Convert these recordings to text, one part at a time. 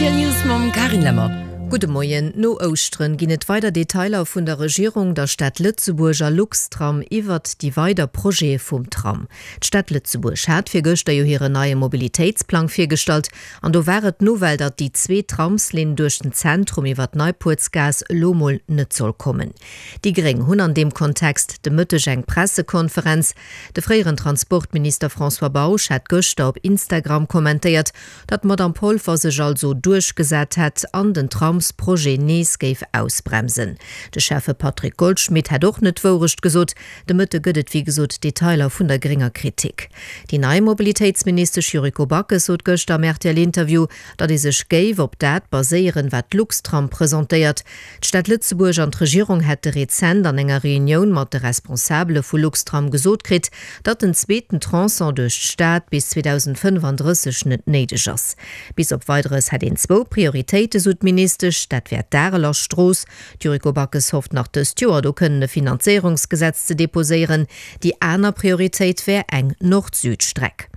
Rtl News mam Carine Lemmer. Gudde Moien. No Ouschteren ginn et weider Detailer vun der Regierung, der Stad Lëtzebuerg a Luxtram iwwert déi weider Projete vum Tram. D'Stad Lëtzebuerg hat virgëschter jo hiren neie Mobilitéitsplang virgestallt an do war et d'Nouvelle, datt déi zweet Tramslinn duerch den Zentrum iwwer d'Neipuertsgaass elo mol net soll kommen. Déi Gréng hunn an deem Kontext de Mëtteg eng Pressekonferenz. De fréieren Transportminister François Bausch hat gëschter op Instagram kommentéiert, datt d'Madamm Polfer sech also duerchgesat hätt an den Tramsprojet nees géif ausbremsen. De Schäffe Patrick Goldschmidt hätt och net d'Wourecht gesot. De Mëtte gëtt et wéi gesot Detailer vun der grénger Kritik. Déi nei Mobilitéitsministesch Yuriko Backes sot gëschter am RTL-Interview, datt ee sech géif op dat baséieren, wat d'Luxtram presentéiert. D'Stad Lëtzebuerg an d'Regierung hätte rezent an enger Reunioun mat de Responsabele vu Luxtram gesot kritt, datt den zweeten Tronçon duerch d'Stad bis 2035 net néideg ass. Bis op Weideres hätt een zwou Prioritéite, sou d'Ministesch, dat wär d'Areler Strooss, d'Yuriko Backes hofft nach dëst Joer do kënnen e Finanzéierungsgesetz ze deposéieren, déi aner Prioritéit wär eng Nord-Süd-Streck.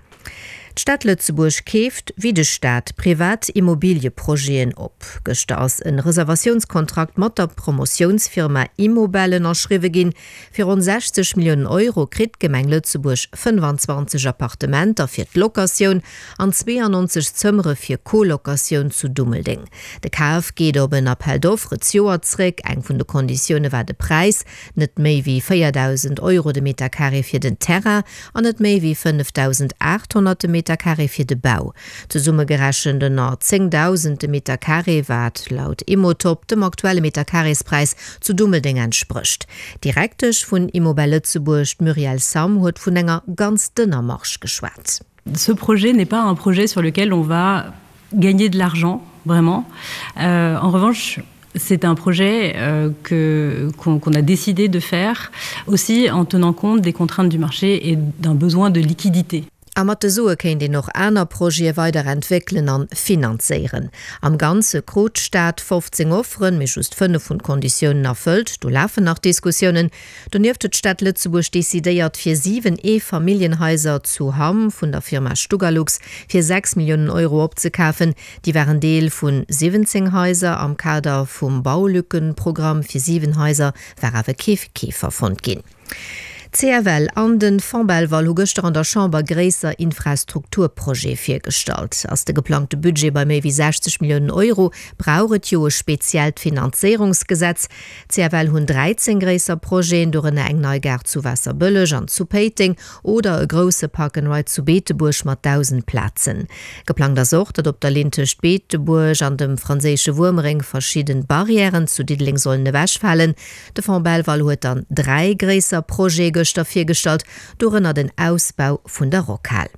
D'Stad Lëtzebuerg keeft, wéi de Staat, privat Immobilieprojeten op. Gëschter ass en Reservatiounskontrakt mat der Promotiounsfirma Immobel ënnerschriwwe ginn. Fir ronn 60 Milliounen Euro kritt d'Gemeng Lëtzebuerg 25 Appartementer fir d'Locatioun an 92 Zëmmere fir Co-Locatioun zu Dummeldeng. De Kaf geet op en Appel d'offres zejoert zréck. Eng vun de Konditioune war de Präis, Net méi wéi 4.000 Euro de Metercarré fir den Terrain an net méi wéi 5.800 de Metercarré fir de Bau. Zesummegerechent ënner 10.000 de Metercarré, wat laut Immotop dem aktuelle Metercarréspräis zu Dummeldeng entsprécht. D'Direktesch vun Immobel Lëtzebuerg, d'Muriel Sam, huet vun enger ganz dënner Marge geschwat. Ce projet n'est pas un projet sur lequel on va gagner de l'argent vraiment. Euh, en revanche, c'est un projet euh, que qu'on qu a décidé de faire aussi en tenant compte des contraintes du marché et d'un besoin de liquidité. A mat de Sue kéint een och aner Projete weider entwéckelen an finanzéieren. Am Ganze krut d'Stad 15 Offeren, mee just 5 hunn d'Konditiounen erfëllt. Do lafen nach Diskussiounen. Donieft huet d'Stad Lëtzebuerg decidéiert, fir 7 Eefamilljenhaiser zu Hamm vun der Firma Stugalux fir 6 Milliounen Euro opzekafen. Déi waren Deel vu 17 Haiser. Am Kader vum Baulückenprogramm fir 7 Haiser war awer kee Keefer fonnt ginn. D'CFL an de Fonds Belval hu gëschter an der Chamber gréisser Infrastrukturprojete virgestallt. Ass de geplangte Budget bei méi wéi 60 Milliounen Euro, brauch et jo e speziellt Finanzéierungsgesetz. D'CFL hunn 13 gréisser Projeten, dorënner eng nei Gare zu Waasserbëlleg an zu Péiteng oder e grousse Park and Ride zu Beetebuerg mat 1.000 Plazen. Geplangt ass och, datt op der Linn tëscht Beetebuerg an dem franséische Wuermereng verschidden Barrièren zu Diddeleng sollen ewechfalen. De Fonds Belval huet dann 3 gréisser Projete gëschter virgestallt, dorënner den Ausbau vun der Rockhal.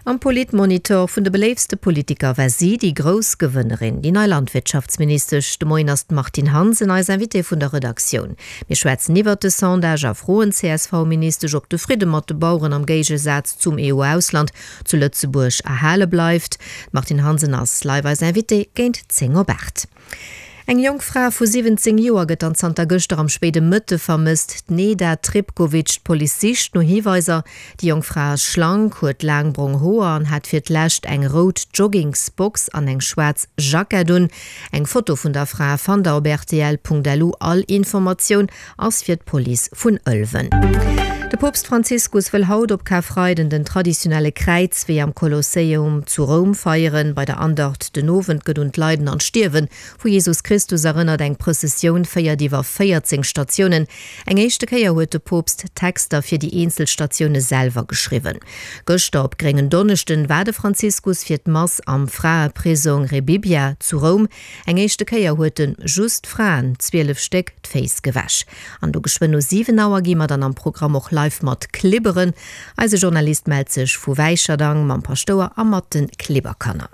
Am Politmonitor vun de beléiftste Politiker war si déi grouss Gewënnerin, déi nei Landwirtschaftsministesch. De Moien ass d'Martine Hansen eis Invitée vun der Redaktioun. Mir schwätzen iwwert de Sondage a froen d'CSV-Ministesch, ob de Fridde mat de Baueren am Géigesaz zum EU-Ausland zu Lëtzebuerg erhale bleift. D'Martine Hansen ass live eis Invitée géint 10 op 8. Eng jonk Fra vu 17 Joer gëtt dann zanter gëschter am spéide Mëtte vermësst. D'Neda Tripkovic. D'Police sicht no Hiweiser. Déi jonk Fra ass schlank, huet laang brong Hoer an hat fir d'lescht eng rout Joggingsbox an eng schwaarz Jackett un. Eng Foto vun der Fra fannt der op rtl.lu. All Informatioun ass fir d'Police vun Ëlwen. De Poopst Franziskus wëll haut op Karfreiden den traditionelle Kräizwee am Kolosseum zu Roum feieren. Bei der Andacht den Owend gëtt un d'Leiden an d'Stierwe vu Jesus Christus erënnert. Eng Prëssessioun féiert iwwer 14 Statiounen. Eng éischte Kéier huet de Poopst d'Texter fir déi eenzel Statioune selwer geschriwwen. Gëschter op Gréngen Donneschden war de Franziskus fir d'Mass am Fraeprisong Rebibbia zu Roum. Eng éischte Kéier huet en just Fraen, 12 Stéck, d'Féiss gewäsch. An do geschwënn no 7 Auer gi mer dann am Programm och live mat klibberen. Eise Journalist mellt sech vu Wäicherdang mam Paschtouer a mat de Klibberkanner.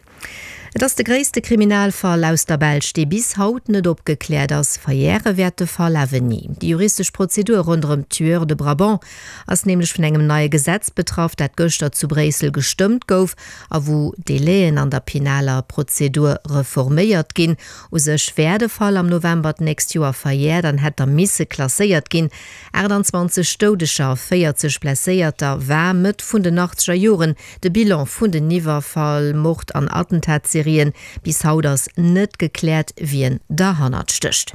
Et ass de gréisste Kriminalfall aus der Belsch, dee bis haut net opgekläert ass. Verjäre wäert de Fall awer ni. Déi juristesch Prozedur ronderëm d'Tueurs de Brabant ass nämlech vun engem neie Gesetz betraff, dat gëschter zu Bréissel gestëmmt gouf a wou Délaiën an der penaler Prozedur reforméiert ginn. U sech wär de Fall am November d'nächst Joer verjäert an hätt da misse klasséiert ginn. 28 Doudeger a 40 Blesséierter war Mëtt vun den achtzeger Joren de Bilan vun den Iwwerfall-, Mord an Attentatserien. Gewaltserien. Bis haut ass net gekläert, wien derhannert stécht.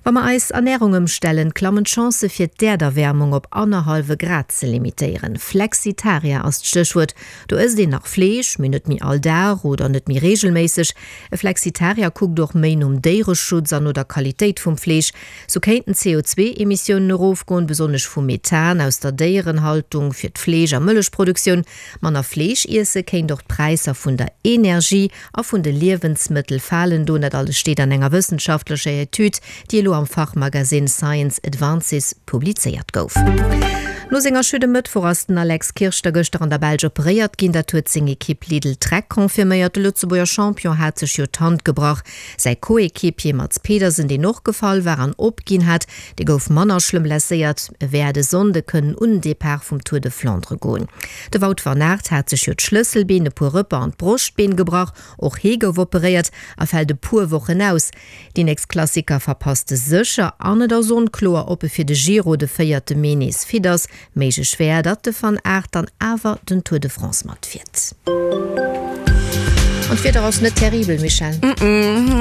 Wa mer eis Ernärung ëmstellen, klammen d'Chancë fir d'Äerderwäermung op annerhallwe Grad ze limitéieren. Flexitarier ass d'Stéchwuert. Do ësst een nach Fleesch, mee net méi all Dag oder net méi reegelméisseg. E Flexitarier kuckt och méi nom Déiereschutz an no der Qualitéit vum Fleesch. Sou kéinten d'CO2-Emissiounen erofgoen, besonnesch vu Methan aus der Déierenhaltung fir d'Fleesch a Mëllechproduktioun. Manner Fleesch iesse kéint och d'Präisser vun der Energie a vun de Liewensmëttel falen doen. Dat alles steet an enger wëssenschaftlecher Etüd, déi elo am Fachmagasinn Science Advances publizéiert gouf. No senger Chute e Mëttwoch ass den Alex Kirsch da gëschter an der Belsch operéiert ginn. Dat huet seng Ekipp Lidl-Trek confirméiert. De Lëtzebuerger Champion hat sech jo d'Hand gebrach. Säi Co-Equipier Mads Pedersen, deen och gefall war an opginn hat, dee gouf manner schlëmm blesséiert. E wäert e Sonnde kënnen un den Depart vum Tour de Flandre goen. De Wout van Aert hat sech jo d'Schlësselbeen, e puer Rëpper an d'Broschtbeen gebrach. Och hee gouf operéiert a fält e puer Wochen aus. Déi nächst Klassiker verpasst e sécher an et ass onkloer, ob e fir de Giro de véierte Mee nees fit ass. Méiglech wär, datt de Van Aert dann awer den Tour de France matfiert. An d'Wieder ass net terribel, Michèle.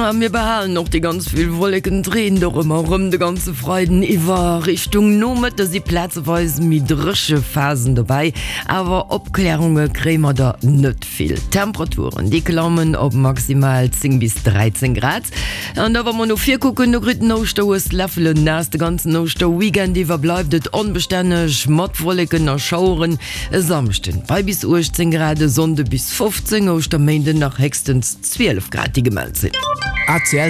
A mir behalen och déi ganz vill Wolleken. Et reent och ëmmer erëm de ganze Freiden iwwer. Richtung Nomëtte si plazeweis méi dréche Phasen dobäi, awer Opklärunge kréie mer der net vill. D'Temperaturen, déi klammen op maximal 10 bis 13 Grad. An da wa mer no vir kucken, do kritt den Ouschterhues Läffelen naass. De ganzen Ouschterweekend iwwer bleift et onbestänneg mat Wolleken a Schaueren. E Samschden bei bis 18 Grad, e Sonnde bis 15, Ouschterméinden nach héchstens 12 Grad, déi gemellt sinn. ACL.